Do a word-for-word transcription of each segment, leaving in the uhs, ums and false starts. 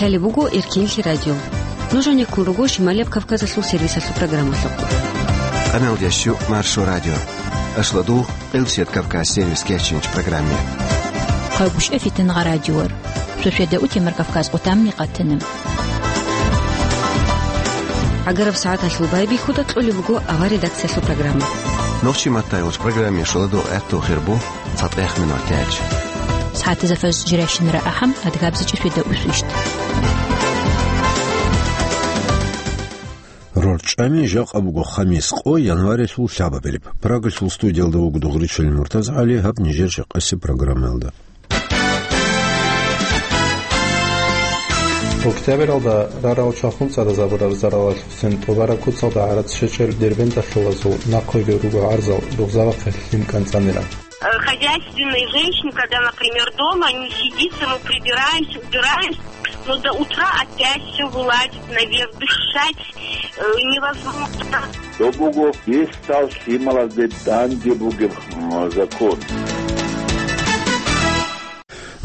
Лъалеб буго Эркенлъи радио. Нуж гьанеккун руго Шималияб Кавказалъул сервисалъул программалъухъ. Къаналдящу Маршо радио. Ашладу Къилсият Кавказ сервис кечинч программе. Хъагушев Фитнагъа радиор. Шошеда утемар Кавказ къутамни къатана. Агараб сагӀаталъул байбихьуда кьолеб буго авар редакциялъул программа. Нохчи маттайгъуч программе шоладу гӀехту хирбу. ЦатӀехъ минуталъ. СагӀатазда фажр жирайщинара ахӀам, адгабзичӀеб шведа усвищ. РорчӀами жакъа буго хамис къо, январилъул лъабабилеб. Прагалъул студиялда вуго Дугъричилин МуртазгӀали, гьаб нижер жакъасеб программаялда. Октябралда рарал чвахун цӀадазабураб заралалъухъцин тӀубараб куцалда гӀарац щвечӀел дербенталъулазул нахъеги руго гӀарзал, ругъзабахъе лъим кӀанцӀанила. Э, хозяйственные женщины, когда, например, дома, не сидится, ну, прибираемся, убираемся, но до утра опять все вылазит наверх, дышать, э, невозможно. Доб буго бесдал лъималазде данде бугеб, м, закон.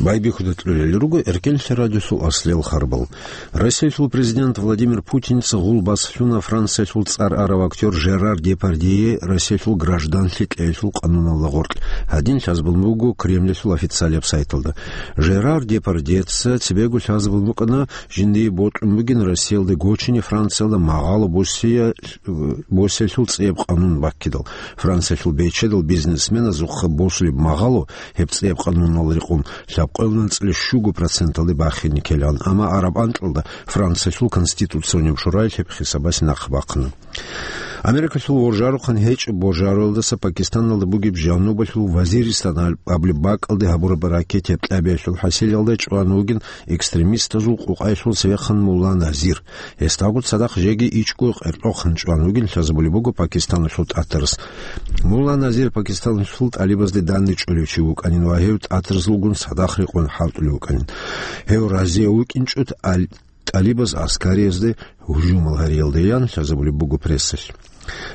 Байбихьуда кьолел руго Эркенлъи радиосул аслиял харбал. Россиялъул президент Владимир Путинца гъулбас лъуна Франциялъул цӀар арав актер Жерар Депардье Россиялъул гражданлъи кьеялъул къануналда гъоркь. Гьадин лъазабун буго Кремлялъул официалияб сайталда. Жерар Депардьеца цебего лъазабун букӀана жиндие бокьун бугин Россиялда гочине Франциялда магъало босия-, босиялъул цӀияб къанун баккидал. Франциялъул бечедал бизнесменазухъа босулеб магъало гьеб цӀияб къануналда рекъон лъабкъоялда анцӀила щуго проценталде бахине ккелан, амма араб анкьалда Франциялъул Конституционияб шораялъ гьеб хисабасе нахъ бахъана. Америкалъул воржарухъан гьечӀеб божароялдаса Пакистаналда бугеб жанубалъул Вазиристан абулеб бакӀалде гьабураб ракетаяб кьабиялъул хӀасилалда чӀван вугин экстремистазул къукъаялъул цевехъан Мулла Назир. Гьесдагу цадахъ жеги ичӀго къеркьохъан чӀван вугин лъазабулеб буго Пакистаналъул тӀатарас. Мулла Назир Пакистаналъул тӀалибазде данде чӀолев чи вукӀанин ва гьев тӀатарзулгун цадахъ рекъон хӀалтӀулев вукӀанин. Гьев разияв вукӀинчӀо ал-, тӀалибаз аскариязде гьужумал гьариялдаян лъазабулеб буго прессалъ.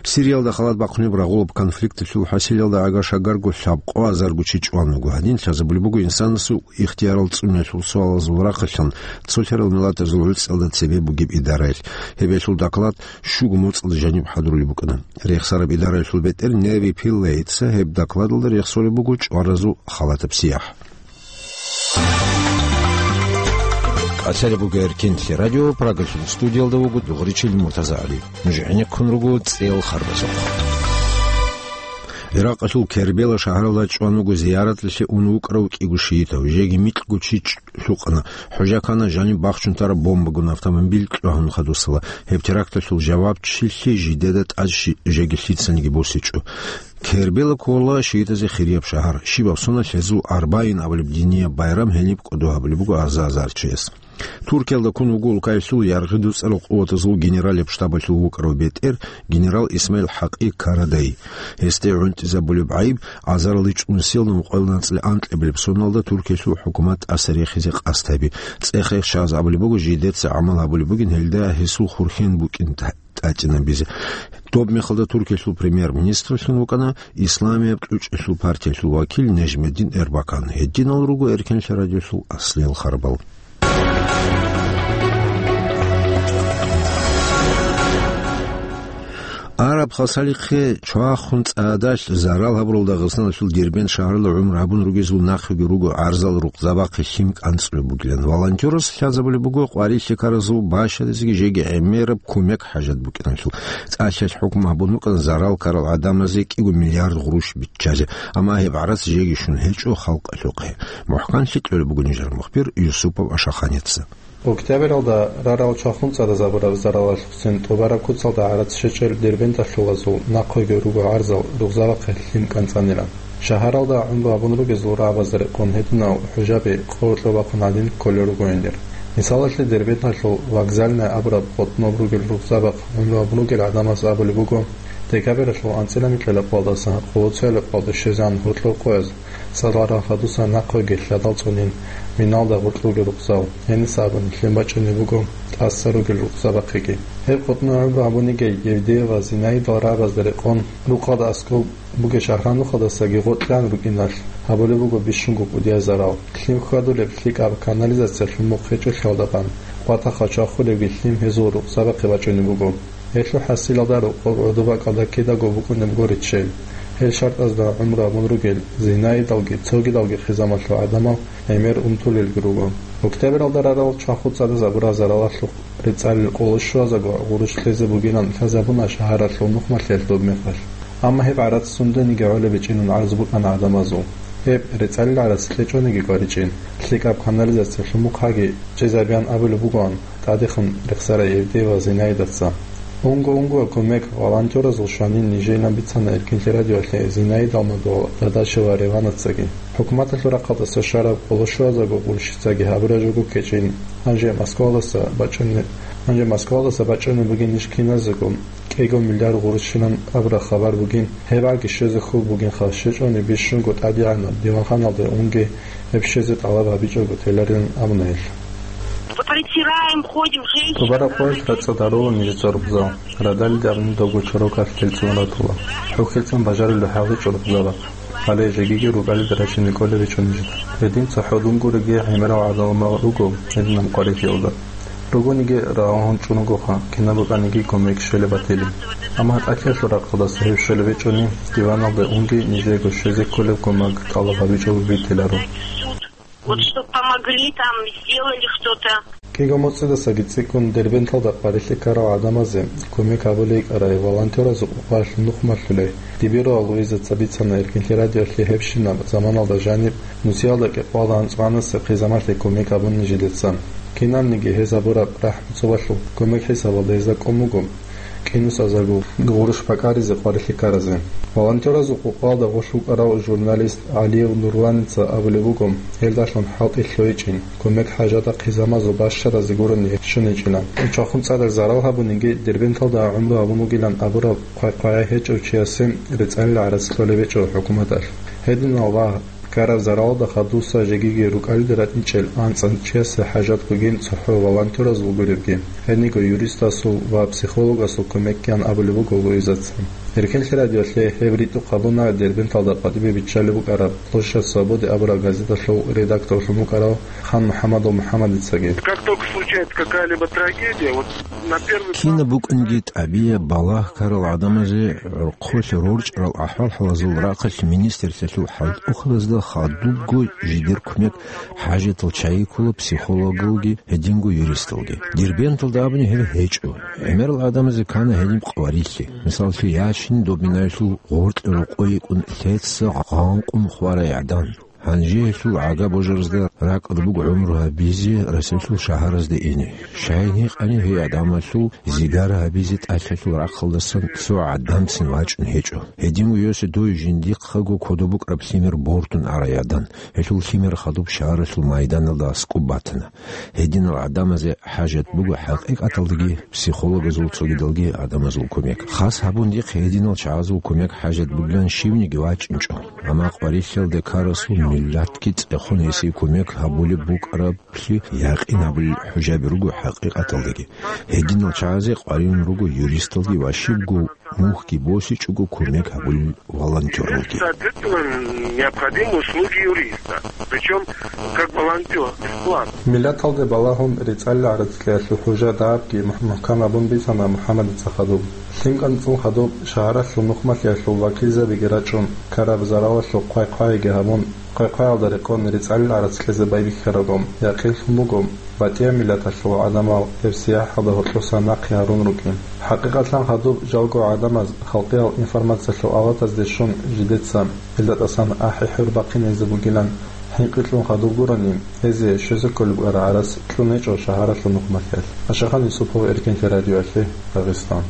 Сириялда халат бахъунеб рагъулаб конфликталъул хӀасилалда агар-шагарго лъабкъо азарго чи чӀван вуго. Гьадин лъазабулеб буго инсанасул ихтиярал цӀуниялъул суалазул рахъалъан цолъарал миллатазул гӀуцӀиялда цебе бугеб идараялъ. Гьеб гьелъул доклад щуго моцӀалда жаниб хӀадурулеб букӀана. Рехсараб идараялъул бетӀер Неви Пиллейтса гьеб докладалда рехсолеб буго чӀваразул халатаб сияхӀ. Къасире буго Эркенлъи радио, Прагалъул студиялда вуго Дугъричил МуртазагӀали. Нуж гӀенеккун руго цӀел харбазухъ. Иракъалъул Кербела шагьаралда чӀван вуго зияратлъи ун вукӀарав кӀиго шиитав, жеги микьго чи лъукъана. ХӀужа ккана жаниб бахчун тараб бомбагун автомобиль кьвагьун хадусала. Гьеб теракталъул жавабчилъи жидеда тӀад щи-, жеги лъицаниги босичӀо. Кербела ккола шиитазе хирияб шагьар. Щибаб соналъ гьезул Арбаин абулеб динияб байрам гьениб кӀодо гьабулеб буго аза-азарчияс. Туркиялда ккун вуго улкаялъул яргъи дуцӀарал къуватазул генералияб штабалъул вукӀарав бетӀер генерал Исмаил ХӀакъи Карадай. Гьесде гӀунтӀизабулеб гӀайиб азаралде чӀун сел нумкъоялда анцӀила анкьабилеб соналда Туркиялъул хӀукумат тӀаса рехизе къасд гьаби. ЦӀех-рех щваз абулеб буго, жидеца гӀамал гьабулеб бугин гьелда гьесул хурхен букӀин тӀа-, тӀадчӀинабизе. Доб мехалда Туркиялъул премьер-министрлъун вукӀана исламияб кьучӀалъул партиялъул вакил Нежмеддин Эрбакан. Гьединал руго Эркенлъи радиолъул аслиял харбал. Араб хасалихъе чвахун цӀадалъ зарал гьабурал Дагъистаналъул Дербент шагьаралда гӀумру гьабун ругезул нахъеги руго гӀарзал рукъзабахъе лъим кӀанцӀулеб бугилан. Волонтерас лъазабулеб буго къварилъи ккаразул бащадазеги жеги гӀемераб кумек хӀажат букӀиналъул. ЦӀалъиялъ хӀукму гьабун букӀана зарал ккарал гӀадамазе кӀиго миллиард гъурущ биччазе, амма гьеб гӀарац жеги щун гьечӀо халкъалъухъе. МухӀканлъи кьолеб буго нижер мухбир Юсупов Ашаханица. Октябралда рарал чвахун цӀадазабураб заралалъухъцин тӀубараб куцалда гӀарац щвечӀел Дербенталъулазул нахъеги руго гӀарзал ругъзабахъе лъим кӀанцӀанила. Шагьаралда гӀумру гьабун ругезул рагӀабазда рекъон гьединал хӀужаби къо-, кьо бахъун гьадин кколел руго гьендир. Мисалалъе, Дербенталъул Вокзальная абураб къотӀноб ругел ругъзабахъ гӀумру гьабун ругел гӀадамаз абулеб буго, декабралъул анцӀила микьила къоялдаса къоло цояла къоялде щвезегӀан гьоркьор къояз Царал рагъ хадусан нахъеги лъадал цӀунин, миналда гъоркь ругел рукъзал, гьениса абун лъим бачӀунеб буго тӀаса ругел рукъзабахъеги. Гьеб къотӀнов гӀумру гьабунигей Евдеева Зинаидал рагӀабазда рекъон, рукъалда аскӀоб бугеб Шагьрамнухалдасаги гъоркьан рукӀиналъ, гьабулеб буго бищунго кӀудияб зарал. Лъим хьвадулеб лъикӀаб канализациялъул мухъ гьечӀолъиялдалъун, къватӀаха чвахулебги лъим гьезул рукъзабахъе бачӀунеб буго. Гьелъул хӀасилалда рокъоб гӀодобакӀалда кидаго букӀунеб буго риччел. Гьел шартӀазда гӀумру гьабун ругел Зинаидалги цогидалги хъизамалъул гӀадамал гӀемер унтулелги руго. Октябралда рарал чваху цӀадаз абураб заралалъухъ рецӀалил къоло щуазаго гъурущ лъезе бугилан лъазабуна шагьаралъул нухмалъиялъ доб мехалъ. Амма гьеб гӀарац сундениги гӀолеб гьечӀинан гӀарз букӀана гӀадамазул. Гьеб рецӀалил гӀарац кьечӀониги кӀваричӀин, лъикӀаб канализациялъул мухъаги чӀезабиян абулеб бугоан, тӀадехун рехсарай Евдеева Зинаидаца. Унго-унгоял кумек волонтеразул щванин нижейлан бицана Эркинлъи радиоялъе Зинаидал мадугьал Дадашева Реванацаги. ХӀукуматалъул рахъалдаса щвараб къоло щуазаго гъурущицаги гьабураб жо буго ккечӀин, гьанже Москвалдаса бачӀунеб-, гьанже Москвалдаса бачӀунеб бугин иш киназего, кӀиго миллиард гъурущилан абураб хабар бугин, гьеб гӀаги щвезе хьул бугинха, щвечӀони бищунго тӀадегӀанаб диванханалде унги гьеб щвезе тӀалаб гьабичӀого теларилан абуна гьелъ. Притираем, ходим, женщины. Тубараб къоялъ рацӀцӀад гьарула нижеца рукъзал. Радалида абуни довго чорокалъ телцӀун ратула. ХӀухьелцӀун бажарулеб хӀал гьечӀо рукъзабахъ. Гьале жегиги рукӀалида рачине кӀолеб гьечӀо нижеда. Гьедин цохӀо дунгуреги гӀемерал гӀадамал руго гьединаб къварилъиялда. Ругониги рагъун чӀун ругоха, кинаб букӀаниги кумек щвелеб батили. Амма гьатӀахъиялъул рахъалдаса гьеб щвелеб гьечӀони, диваналда унги нижего щвезе кколеб кумек тӀалаб гьабичӀого битиларо. Вот чтоб помогли, там сделали что-то. КӀиго моцӀидасаги цӀикӀкӀун Дербенталда къварилъи ккарал гӀадамазе кумек гьабулей кӀарай волонтеразул къокъаялъ нухмалъулей Дибирова Луизаца бицана Эркинлъи радиоялъе гьебщинаб заманалда жаниб нусиялда кӀикъоялда анцӀгоялдаса хъизамалъе кумек гьабун нижедеца. Кинабниги гьез гьабураб рахӀму-цӀубалъул кумек хӀисабалда гьезда кӀун буго. КӀинусазаго гъурущ бакӀаризе къварилъи ккаразе. Волонтеразул къокъалда гъолъ вукӀарав журналист ГӀалиев Нурланица абулеб буго, гьелдалъун хӀалтӀи лъугьичӀин, кумек хӀажатда хъизамазул бащаразе гурони щуничӀила. Чвахун цӀадаз зарал гьабуниги, Дербенталда гӀумру гьабун вугилан абураб хъвай-хъвай гьечӀев чиясе рецӀанил гӀарац кьолеб гьечӀо хӀукуматалъ. Гьединал ва ккараб заралалда хадуса жегиги рукӀалида ратӀичӀел анцӀан чиясе хӀажат бугин цохӀо волонтеразул гуребги, гьениго юристасул ва психологасул кумекги ан абулеб буго Луизаца. Эркинлъи радиоялъе гьеб ритӀухъ гьабуна Дербенталда къватӀибе биччалеб букӀараб Площадь Свободы абураб газеталъул редакторлъун вукӀарав Хан МухӀамадов МухӀамадицаги. Как только случается какая-либо трагедия, вот на первый план... Кинаб букӀунги тӀабияб балагь ккарал гӀадамазе гӀорхъолъ рорчӀарал ахӀвал-хӀалазул рахъалъ министрлъиялъул хӀалтӀухъабазда хадубго жидер кумек хӀажатал чагӀи ккола психологалги, гьединго юристалги. Дербенталда абуни гьеб гьечӀо. ГӀемерал гӀадамазе ккана гьедин къварилъи. Мисаллъи ячин, доб минаялъул гъоркье рокъой йикӀун лъеца гъанкъун хварай гӀадан. Гьанже гьелъул гӀага божаразда ракӀалда буго гӀумру гьабизе Расулъул шагьаразде ине. Щайин гьикъани, гьей гӀадамалъул зигара гьабизе тӀалъалъул рахъалдасан цо гӀадамцин вачӀун гьечӀо. Гьедин вугевси дой жиндихъаго кодоб букӀараб лъимер бортун арай гӀадан. Гьелъул лъимер хадуб шагьаралъул майданалда аскӀуб батана. Гьединал гӀадамазе хӀажат буго хӀакъикъаталдаги психологазул, цогидалги гӀадамазул кумек. Хас гьабун дихъ гьединал чагӀазул кумек хӀажат бугилан щивниги вачӀинчӀо. Амма къварилъиялде ккарасул миллатги цӀехун гьесие кумек гьабулеб букӀараблъи якъин гьабулел хӀужаби руго хӀакъикъаталдаги. Гьединал чагӀазе къваригӀун руго юристалги ва щибго мухьги босичӀого кумек гьабулел волонтёралги. Соответственно, необходимы услуги юриста, причём как волонтёр, бесплатно. Миллаталде балагьун рецӀалил гӀарац кьеялъул хӀужа дагьабги мухь-, мухӀкам гьабун бицана МухӀаммадица хадуб. Лъим кӀанцӀун хадуб шагьаралъул нухмалъиялъул вакилзабиги рачӀун, ккараб заралалъул хъвай-хъвайги гьабун, хъвай-хъваялда рекъон рецӀалил гӀарац кьезе байбихьарабго, якъинлъун буго, батӀияб миллаталъул гӀадамал гьеб сияхӀалда гьоркьоса нахъе гьарун рукӀин. ХӀакъикъатлъан хадуб жалго гӀадамаз халкъиял информациялъул авлатазде щун жидеца, гьелда тӀасан ахӀи-хӀур бахъине гьезда бугилан хӀинкъи кьун хадуб гурони, гьезие щвезе кколеб гӀарац кьун гьечӀо шагьаралъул нухмалъиялъ. Ашахан Юсупов, Эркинлъи радиоялъе, Дагъистан.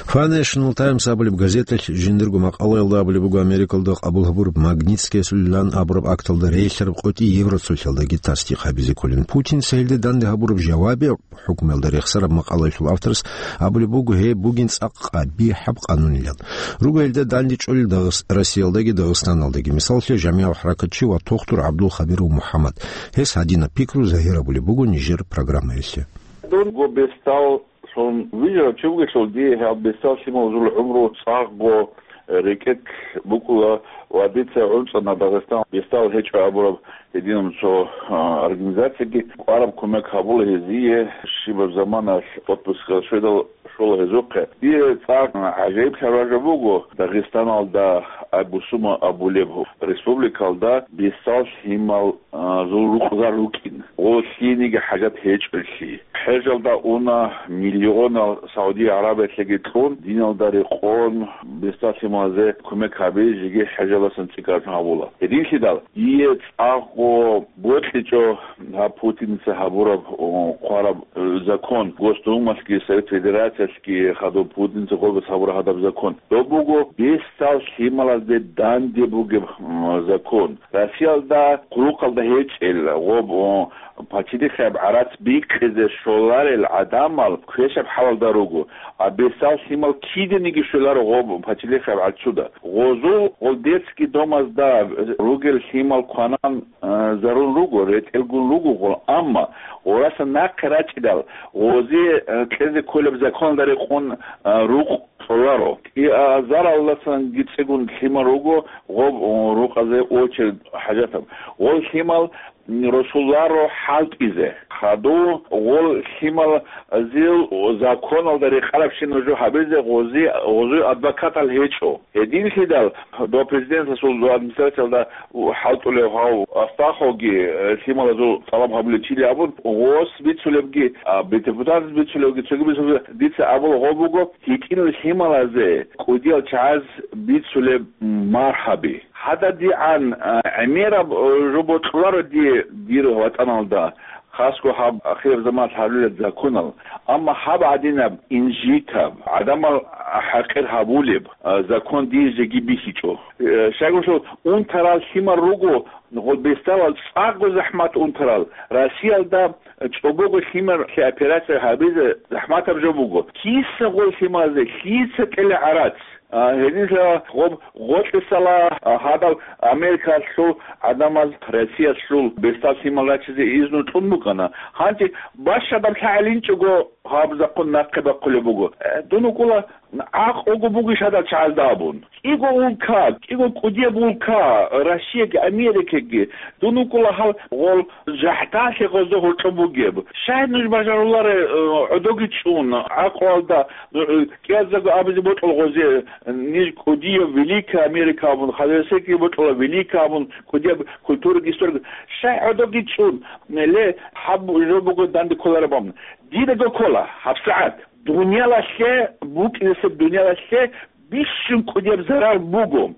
Financial Times абулеб газеталъ жиндирго макъалаялда абулеб буго, Америкалда къабул гьабураб Магнитскиясулилан абураб акталда релълъараб къотӀи евро цолъиялдаги тасдикъ гьабизе кколин. Путинца гьелде данде гьабураб жавабияб хӀукмуялда рехсараб макъалаялъул авторас абулеб буго, гьеб бугин цӀакъ къабихӀаб къанунилан. Руго гьелда данде чӀолел Дагъис-, Россиялдаги Дагъистаналдаги. Мисаллъе, жамигӀал хӀаракатчи ва тухтур ГӀабдул Хабиров МухӀаммад. Гьес гьадинаб пикру загьирабулеб буго нижер программаялъе. Дунго бестал Цун вижарав чи вугелъул, дие гьаб бестал лъималазул гӀумру цӀакъго рекӀекь букӀула ва дица гӀунцӀана Дагъистан бестал гьечӀо абураб гьединаб цо, а, организацияги кӀвараб кумек гьабула гьезие, щибаб заманалъ отпускалъ щведал щола гьезухъе. Дие цӀакъ гӀажаиблъараб жо буго, Дагъистаналда Абусума абулеб республикалда бестал лъимал а, зул рукъзар рукӀин, гъо лъиениги хӀажат гьечӀолъи. ХӀежалда уна миллионал Саудия ГӀарабиялъеги кьун, диналда рекъон, бестал лъималазе кумек гьаби жеги хӀежалдасан цӀикӀкӀаралъун гьабула. Гьединлъидал, дие цӀакъго бокьичӀо гьаб Путинца гьабураб, о, хъвараб, э, закон, Госдумалъги, Совет Федерациялъги хадуб Путинца гъолбас гьабураб гьадаб закон. Доб буго бестал лъималазде данде бугеб, м, закон. Россиялда хъулухъалда гьечӀел, гъоб, о, пачалихъияб гӀарац бикъизе щоларел гӀадамал квешаб хӀалалда руго, а бесал лъимал киданиги щоларо гъоб пачалихъияб гӀарцуда. Гъозул гъол детский домазда ругел лъимал кванан, а, зарун руго, ретӀелгун руго гъол, амма гъораса нахъе рачӀидал, гъозе, а, кьезе кколеб законалда рекъон, а, рукъ кьоларо. КӀиазаралдасанги цӀигун лъимал руго, гъоб рукъазе очередь хӀажатаб. Гъол лъимал росуларо хӀалтӀизе. Хаду гъол лъималазул законалда рекъарабщинаб жо гьабизе гъози-, гъозул адвокатал гьечӀо. Гьединлъидал до президентасул, до администрациялда хӀалтӀулев гьав Астаховги, э, лъималазул тӀалаб гьабулев чили абун, гъос бицулебги, а, депутатас бицулевги, цоги бицулебги, дица абула гъо буго, гьитӀинал лъималазе кӀудиял чагӀаз бицулеб мархӀаби. ГьададигӀан, а, гӀемераб, э, жо бокьуларо дие дир ватӀаналда, хасго гьаб ахираб заманалъ гьарулел законал, амма гьаб гӀадинаб инжитаб, гӀадамал хӀакъир гьабулеб, а, закон дие жеги бихьичӀо. Э, щайгурелъул унтарал лъимал руго, гъол бесдалал цӀакъго захӀмат унтарал, Россиялда чӀобого лъималъе операция гьабизе захӀматаб жо буго. Киса гъол лъималазе, лъица кьела гӀарац? А, гьединлъидал гъоб гъоркьисала, а, гьадал Америкалъул гӀадамаз Россиялъул бесдал лъимал рачизе изну кьун букӀана. Гьанже бащадаб лъагӀел инчӀого гьаб закон нахъе бахъулеб буго. Э, дун вукӀула гӀакълуго бугищ гьадал чагӀазда абун. КӀиго улка, кӀиго кӀудияб улка, Россияги Америкаги, дун вукӀула гьал гъол жахӀдалъе гъозда гьоркьоб бугеб. Щай нуж бажаруларе, э, гӀодоги чӀун, гӀакълуялда, э, кӀиаздаго абизе бокьула гъозе, ниж кӀудияв великая Америка абун, хадуресеги бокьула великая абун, кӀудияб культураги историяги. Щай гӀодоги чӀун, ле, гьаб жо буго данде кколареб абун. Дидаго ккола гьабсагӀат. Дуниялалъе букӀинесеб дуниялалъе бищун кӀудияб зарар буго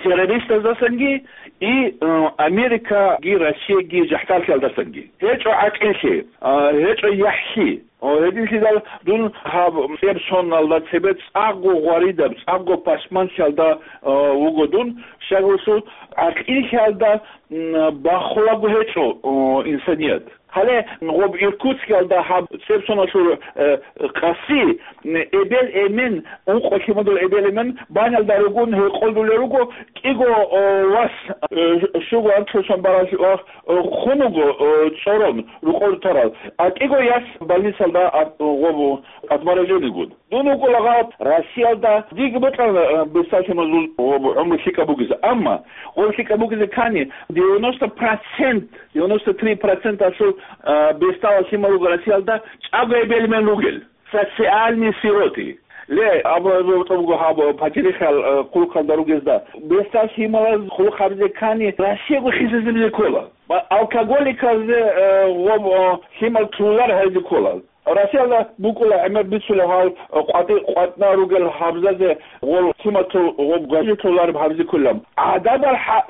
террористаздасанги и, э, Америкаги Россияги жахӀдалъиялдасанги. ГьечӀо гӀакъиллъи, а, гьечӀо яхӀлъи. О, гьединлъидал дун гьаб цӀеб соналда цебе цӀакъго гъваридаб, цӀакъго пашманлъиялда, э, вуго дун, щайгурелъул гӀакъиллъиялда, м, бахулаго гьечӀо, о, инсаният. Гьале гъоб Иркутскиялда гьаб цебсоналъур, э, къаси, м, эбел-эмен, ункъо лъимадул эбел-эмен банялда ругун гьекъолдулел руго, кӀиго, о, вас, э, щуго анлъусан баралъ ва, э, хун вуго, э, цӀорон рукъов тарал, а кӀиго яс больницалда ат-, гъоб отмороженныйгун. Дун вукӀула гъаб Россиялда, диги бокьана, э, бесалъимазул гъоб гӀумру лъикӀаб бугеса. Амма гъоб лъикӀаб бугезе ккани, девяносто процент, девяносто три процент асул, э, бесдалал лъимал руго Россиялда чӀаго эбел-эмен ругел. Социальные сироты. Ле, абу, абу, абу, гьаб, пачалихъал, э, хъулухъалда ругезда. Бесдал лъималаз хъулухъ гьабизе ккани, Россиягу хисизабизе ккола. Ва алкоголиказде, э, гъоб, э, лъимал тулар гьайзе ккола. Россиялда букӀула гӀемер бицулеб гьал, къватӀи-, къватӀна ругел гьабзазе гъол лъимал тул-, гъоб гвайи тулареб гьабизе кколеб. ГӀадабал хӀа-,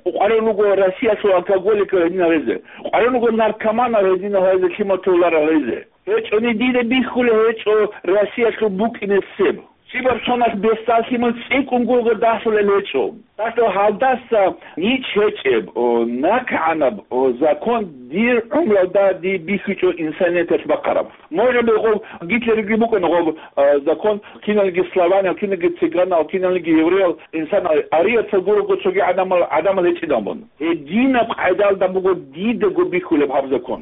къваригӀун руго Россиялъул алкоголикал гьединал гьезе. КъваригӀун руго наркоманал гьединал гьезе лъимал туларал гьезе. ГьечӀони дида бихьулеб гьечӀо Россиялъул букӀинесеб. Щибаб соналъ бесдаллъи мун цӀикӀкӀун гурого дагьлъулел гьечӀо. Дагьлъул гьалдаса нич гьечӀеб, о, накгӀанаб, о, закон дир гӀумруялда дие бихьичӀо инсанияталъ бахъараб. Может быть, гъоб Гитлерги букӀана гъоб, а, закон, киналги славянал, киналги цыганал, киналги еврейал, инсанал, арияцал гурого цоги гӀадамал, гӀадамал гьечӀидал мун. Гьединаб къайдалда буго дидаго бихьулеб гьаб закон.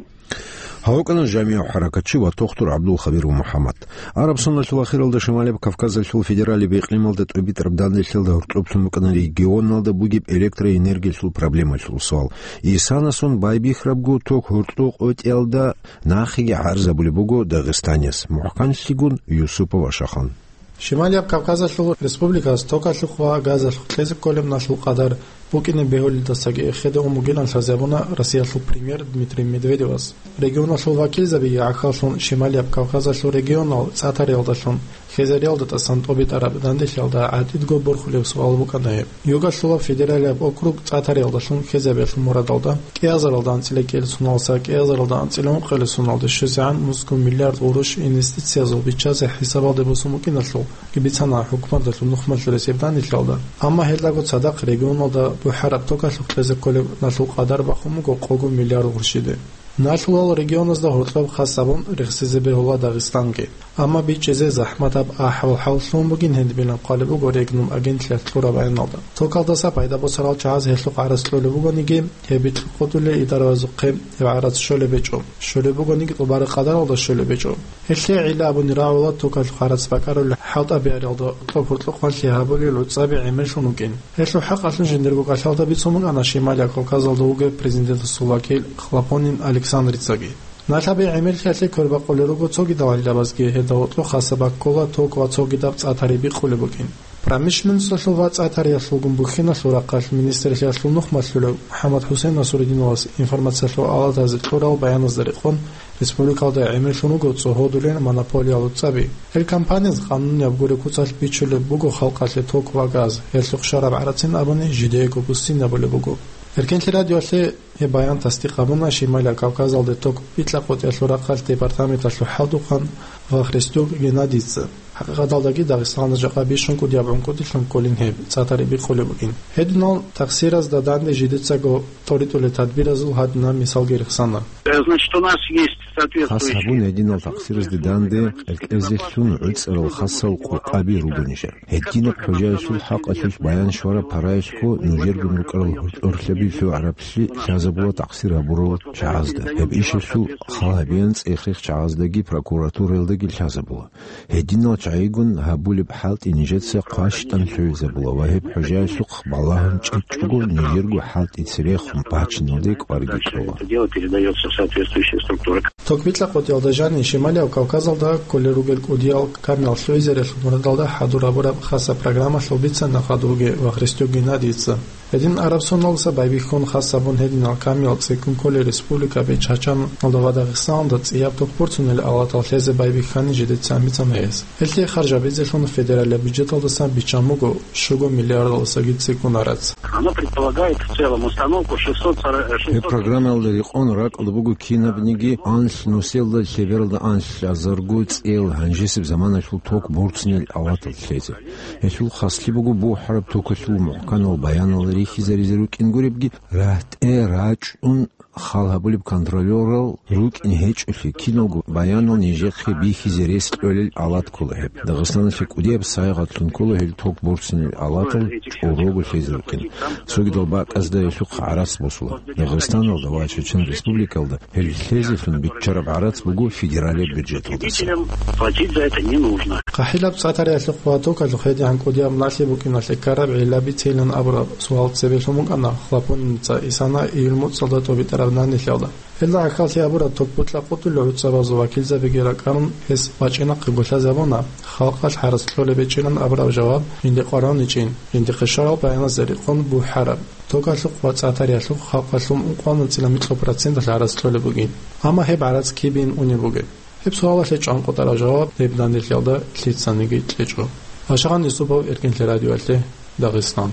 Гьав вукӀана жамигӀ хӀаракатчи ва тухтур ГӀабдул-Хабир ва МухӀаммад. Араб соналъул ахиралда Шималияб Кавказалъул федералияб икълималда тӀубитӀараб данделъиялда гьоркьоблъун букӀана регионалда бугеб электроэнергиялъул проблемаялъул суал. Исанасун байбихьарабго ток гьоркьоб къотӀиялда нахъеги гӀарзабулеб буго Дагъистанияс, мухӀканлъигун Юсупов Ашахан. Шималияб Кавказалъул республикаялъ токалъухъ ва газалъухъ кьезе кколеб налъул къадар букӀине бегьулелдасаги эхеде ун бугилан лъазабуна Россиялъул премьер Дмитрий Медведевас. Регионалъул вакилзабиги гӀахьаллъун Шималияб Кавказалъул регионал ЦӀатариялдалъун хезариялда тӀасан тӀубитӀараб данделъиялда гӀатӀидго борхулеб суал букӀана гьеб. Югалъулаб федералияб округ ЦӀатариялдалъун хезабиялъул мурадалда кӀиазаралда анцӀила кӀиялсуналдаса кӀиазаралда анцӀила ункъилсуналде щвезегӀан мусгун миллиард гъурущ инвестициязул биччазе хӀисабалде босун букӀиналъул бицана хӀукуматалъул нухмалъурасеб данделъиялда, амма гьелдаго цадахъ регионалда бухӀараб токалъухъ кьезе кколеб налъул къадар бахун буго къого миллиард гъурщиде. Налъулал регионазда гьоркьоб хас гьабун рехсизе бегьула Дагъистанги. Амма бичӀчӀизе захӀматаб ахӀвал-хӀал лъугьун бугин гьединаб хъвалеб буго Регнум агентлъиялъ кьураб баяналда. Токалдаса пайда босарал чагӀаз гьелъухъ гӀарац кьолеб бугониги, гьеб бикьукъулел идараязухъе гьеб гӀарац щолеб гьечӀо. Щолеб бугониги тӀубараб къадаралда щолеб гьечӀо. Гьелъие гӀилла абуни рагӀула токалъухъ гӀарац бакӀарулел хӀалтӀабиялда кьоб-гьоркьохъанлъи гьабулел гӀуцӀаби гӀемерлъун вукӀин. Гьелъул хӀакъалъулъ жиндирго кӀалъалда бицун букӀана Шималияб Кавказалда вугев президентасул вакил Хлопонин Александрицаги. Налъаби гӀемерлъиялъе квербакъулел руго цогидал гӀиллабазги, гьелда гьоркьоб хасаб баккула ток ва цогидаб цӀатари бикъулеб букӀин. Промышленносталъул ва цӀатариялъулгун бухьиналъул рахъалъ министрлъиялъул нухмалъулев МухӀаммад ХӀусейн Насрудиновас информациялъул алатазе кьурал баяназда рекъон, республикалда гӀемерлъун руго цо гьодулел монополиял гӀуцӀаби. Гьел компаниялъ къанунияб гуреб куцалъ бичулеб буго халкъалъе ток ва газ, гьелъухъ щвараб гӀарацин абуни жидеего буссинабулеб буго. Эркенлъи радиоялъе гьеб баян тасдикъ гьабуна Шималияб Кавказалде ток бикьа-къотӀиялъул рахъалъ департаменталъул хӀалтӀухъан Вахристюк Геннадийица. ХӀакъикъаталдаги Дагъистаналда жакъа бищун кӀудияб гӀункӀудилъун кколин гьеб цӀатари бикъулеб букӀин. Гьединал такъсиразда данде жидецаго тӀоритӀулел тадбиразул гьадинаб мисалги рехсана. Э, значит, у нас есть соответствующие... Хас гьабун гьединал такъсиразде данде кьеркьезелъун гӀуцӀарал хасал къокъаби руго нижер. Гьединаб хӀужаялъул хӀакъалъулъ баян щвараб параялъго нужергун рукӀарал гьоркьорлъаби лъугӀараблъи лъазабула такъсир гьабурал чагӀазда. Гьеб ишалъул хал гьабеян цӀех-рех чагӀаздаги прокуратураялдаги лъазабула. Гьединал чагӀигун гьабулеб хӀалтӀи нижеца хъващтӀан лъугӀизабула ва гьеб хӀужаялъухъ балагьун чӀечӀого нижерго хӀалтӀи церехун бачиналде кӀварги кьола. Ток бикьа-къотӀиялда жанив Шималияб Кавказалда кколел ругел кӀудиял камил лъугӀизариялъул мурадалда хӀадур гьабураб хасаб программалъул бицана хадубги Вахристюк Геннадийица. Гьедин Араб Соналдаса байбихьун хас гьабун гьединал камил цӀикӀкӀун кколел республикаби Чачаналда ва Дагъистаналда цӀияб ток борцунел алатал лъезе байбихьани жидеца бицана гьес. Гьелъие харж гьабизелъун федералияб бюджеталдасан биччан буго щуго миллиардалдасаги цӀикӀкӀун гӀарац. Она предполагает в целом установку шестьсот сорок, шестьсот... Гьеб программаялда рекъон ракӀалда буго кинабниги анлъ нусиялда лъебералда анлъазарго цӀел гьанжесеб заманалъул ток борцунел алатал лъезе. Гьелъул хаслъи буго бухӀараб токалъул мухӀканал баянал рихьизаризе рукӀин гуребги, рагьтӀе рачӀун хал гьабулеб контролёрал рукӀин гьечӀолъи киналго баянал нижехъе бихьизе рес кьолел алат ккола гьеб. Дагъистаналъе кӀудияб сайгъатлъун ккола гьел ток борцунел алатал чӀорого лъезе рукӀин. Цогидал бакӀазда гьелъухъ гӀарац босула. Дагъистаналда ва Чечен Республикалда гьел лъезелъун биччараб гӀарац буго федералияб бюджеталдаса. Платить за это не нужно. ХъахӀилаб цӀатариялъухъ ва токалъухъ гьедигӀан кӀудияб налъи букӀиналъе ккараб гӀилла бицейилан абураб суал цебе лъун букӀана Хлопониница Исана июль муцӀалда тӀубитӀараб данделъиялда. Гьелда гӀахьаллъи гьабураб ток бикьа-къотӀулел гӀуцӀабазул вакилзабиги ракӀарун, гьес бачӀинахъего лъазабуна, халкъалъ гӀарац кьолеб гьечӀилан абураб жаваб жинде къваригӀуничӀин, жиндихъе щварал баяназда рекъон бухӀараб. Токалъухъ ва цӀатариялъухъ халкъалъул ункъоялда анцӀила микьго проценталъ гӀарац кьолеб бугин. Амма гьеб гӀарац кибейин унеб бугеб? Гьеб суалалъе чӀванкъотӀараб жаваб гьеб данделъиялда лъицаниги кьечӀо. Ашагъан Юсупов, Эркенлъи радиоялъе, Дагъистан.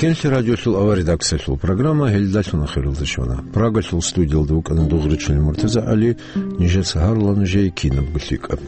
Инлъи радиолъул авария редакциялъул программа гьелдалъун ахиралде щвана. Прагалъул студиялда вукӀана Дугъричилан МуртазагӀали, нижеца гьарула нужее кинабго лъикӀаб.